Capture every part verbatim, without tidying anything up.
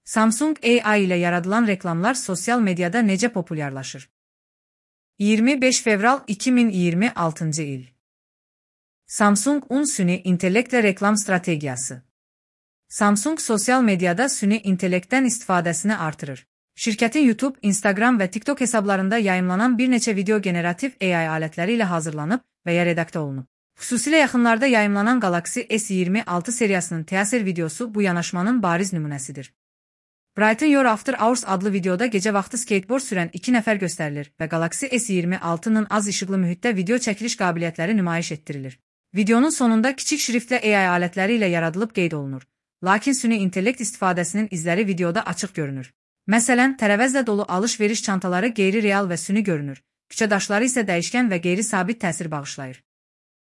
Samsung A I ilə yaradılan reklamlar sosial mediada necə populyarlaşır? iyirmi beş fevral iki min iyirmi altıncı il. Samsung un süni intellektlə reklam strategiyası. Samsung sosial mediada süni intellektdən istifadəsini artırır. Şirkətin YouTube, Instagram və TikTok hesablarında yayımlanan bir neçə video generativ A I alətləri ilə hazırlanıb və ya redaktə olunub. Xüsusilə yaxınlarda yayımlanan Galaxy S iyirmi altı seriyasının teaser videosu bu yanaşmanın bariz nümunəsidir. Brighton Your After Hours adlı videoda gecə vaxtı skateboard sürən iki nəfər göstərilir və Galaxy S iyirmi altının az işıqlı mühitdə video çəkiliş qabiliyyətləri nümayiş etdirilir. Videonun sonunda kiçik şriftlə A I alətləri ilə yaradılıb qeyd olunur. Lakin süni intellekt istifadəsinin izləri videoda açıq görünür. Məsələn, tərəvəzlə dolu alış-veriş çantaları qeyri-real və süni görünür. Küçə daşları isə dəyişkən və qeyri-sabit təsir bağışlayır.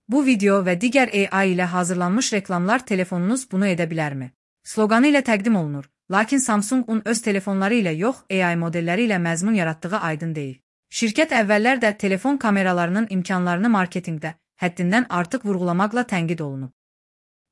Bu video və digər A I ilə hazırlanmış reklamlar telefonunuz bunu edə bilərmi? Sloqanı ilə təqdim olunur. Lakin Samsung-un öz telefonları ilə yox, A I modelləri ilə məzmun yaratdığı aydın deyil. Şirkət əvvəllər də telefon kameralarının imkanlarını marketinqdə həddindən artıq vurğulamaqla tənqid olunub.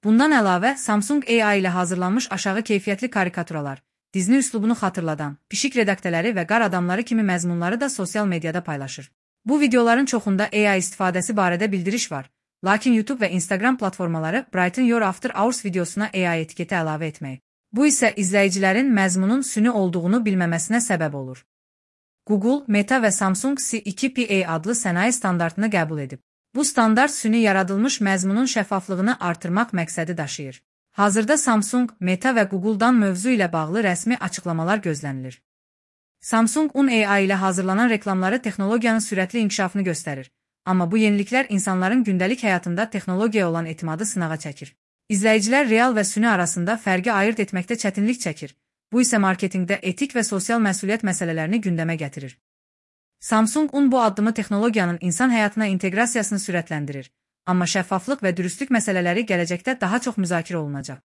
Bundan əlavə, Samsung A I ilə hazırlanmış aşağı keyfiyyətli karikaturalar, Disney üslubunu xatırladan, pişik redaktələri və qar adamları kimi məzmunları da sosial mediada paylaşır. Bu videoların çoxunda A I istifadəsi barədə bildiriş var. Lakin YouTube və Instagram platformaları Brighton Your After Hours videosuna A I etiketi əlavə etməyib. Bu isə izləyicilərin məzmunun süni olduğunu bilməməsinə səbəb olur. Google, Meta və Samsung C iki P A adlı sənaye standartını qəbul edib. Bu standart süni yaradılmış məzmunun şəffaflığını artırmaq məqsədi daşıyır. Hazırda Samsung, Meta və Google-dan mövzu ilə bağlı rəsmi açıqlamalar gözlənilir. Samsung-un A I ilə hazırlanan reklamları texnologiyanın sürətli inkişafını göstərir. Amma bu yeniliklər insanların gündəlik həyatında texnologiyaya olan etimadı sınağa çəkir. İzləyicilər real və süni arasında fərqi ayırt etməkdə çətinlik çəkir. Bu isə marketinqdə etik və sosial məsuliyyət məsələlərini gündəmə gətirir. Samsung-un bu addımı texnologiyanın insan həyatına inteqrasiyasını sürətləndirir. Amma şəffaflıq və dürüstlük məsələləri gələcəkdə daha çox müzakirə olunacaq.